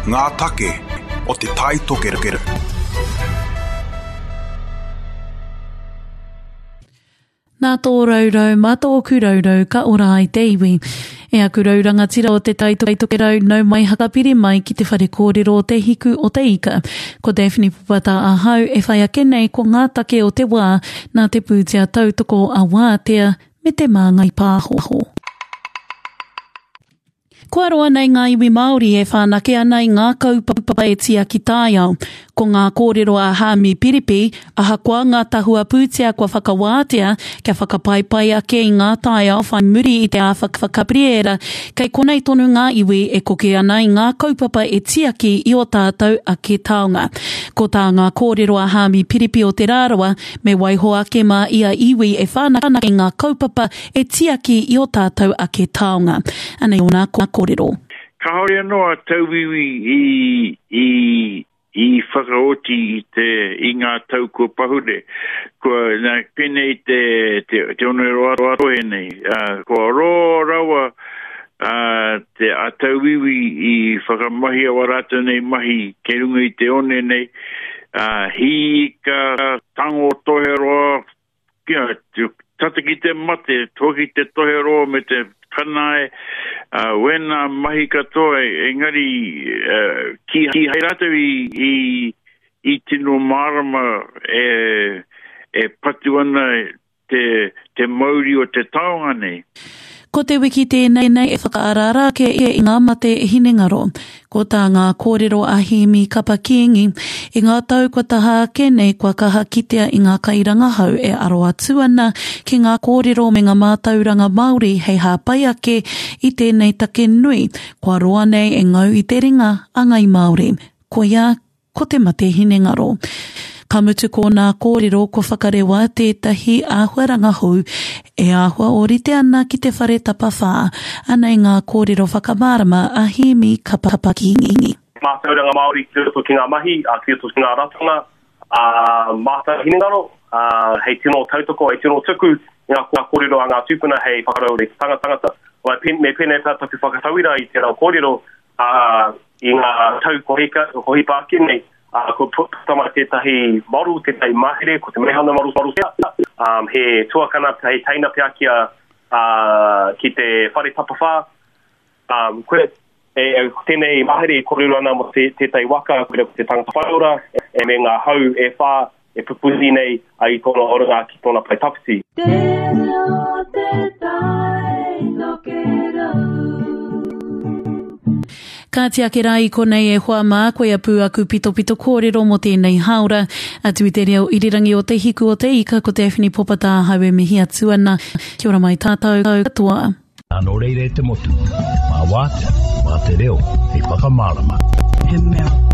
Ngā take o Te Tai Tokerau. Nā tō raurau, mā tōku raurau ka ora ai te iwi. E aku rau rangatira o Te Tai Tokerau, nau mai hakapiri mai ki te whare kōrero o Te Hiku o Te Ika. Ko Daphne Popata ahau e whai ake nei ko ngā take o te wā nā te pūtea tautoko a Wātea me Te Māngai Pāho. Kua roa nei ngā iwi Māori e whanake ana i ngā kaupapa e tiaki taiao. Ko ngā kōrero a Haami Piripi, ahakoa ngā tahua pūtea kua whakawātea kia whakapaipai ake i ngā taiao whai muri i te āwha Gabriera, kei konei tonu ngā iwi e koke ana i ngā kaupapa e tiaki i ō tātou ake taonga. Ko tā ngā kōrero a Haami Piripi o Te Rarawa, me waiho ake mā ia iwi e whanake i ngā kaupapa e tiaki i ō tātou ake taonga. Anei ōna kōrero. Kāore anō a tauiwi i, i, i whakaoti i te, i ngā tau kua pahure. Kua, nā, pēnei te, te, te oneroa rohe nei, ā, kua roa rawa, ā, te, a tauiwi i whakamahia wā rātou nei mahi kei runga i te one nei, ā, hī ika, tango toheroa, Kia tata ki te mate, hoki te toheroa me te kanae, uh, wēnā mahi katoa, engari uh, kīhai rātou i, i, i tino mārama e, e patu ana te, te mauri o te taonga nei. Ko te wiki tēnei e whakaaraara ake i ngā mate hinengaro. Ko tā ngā kōrero a Hēmi Kapa Kīngi, i ngā tau kua taha ake nei kua kaha kitea i ngā kairangahau e aro atu ana ki ngā kōrero me ngā mātauranga Māori hei hāpai ake i tēnei take nui kua roa nei e ngau i te ringa a Ngai Māori. Koia Ko te mate hinengaro. Ka mutu ko nā kōrero kua whakarewa tētahi āhuaranga hou e āhua ōrite ana ki te whare tapawhā. Anei ngā kōrero whakamārama a Hēmi Kapa Kīngi. Mātauranga Māori ki roto ki ngā mahi, ki roto ki ngā ratonga, ā, mātau hinengaro, ā, hei tino tautoko, hei tino tuku i ngā kōrero a ngā tūpuna hei whakaraure i te tangata. Me pēnei pea taku whakatauira i tērā kōrero, ā, i ngā tau kua hika, kua hipa ake nei, ā, kua puta mai tētahi model, tētahi mahere, ko te Meihana Model, model pea, ā, he tuakana, he teina pea ki a, ā, ki te whare tapawhā, ā, koe, e, e, ko tēnei mahere e kōrero ana mō te, tētahi waka, koe ko te tangata whaiora, e, me ngā hau e whā, e pupuri nei a i tōna oranga ki tōna pae tawhiti. Te reo te tai tokerau. Kāti ake rā i konei e hoa mā, koia pū aku pitopito kōrero mō tēnei hāora. Atu i te reo irirangi o Te Hiku o Te Ika, ko Daphne Popata ahau e mihi atu ana. Kia ora mai tātou katoa. Nō reira e te motu, mā Wātea, mā te reo hei whakamārama. He mea.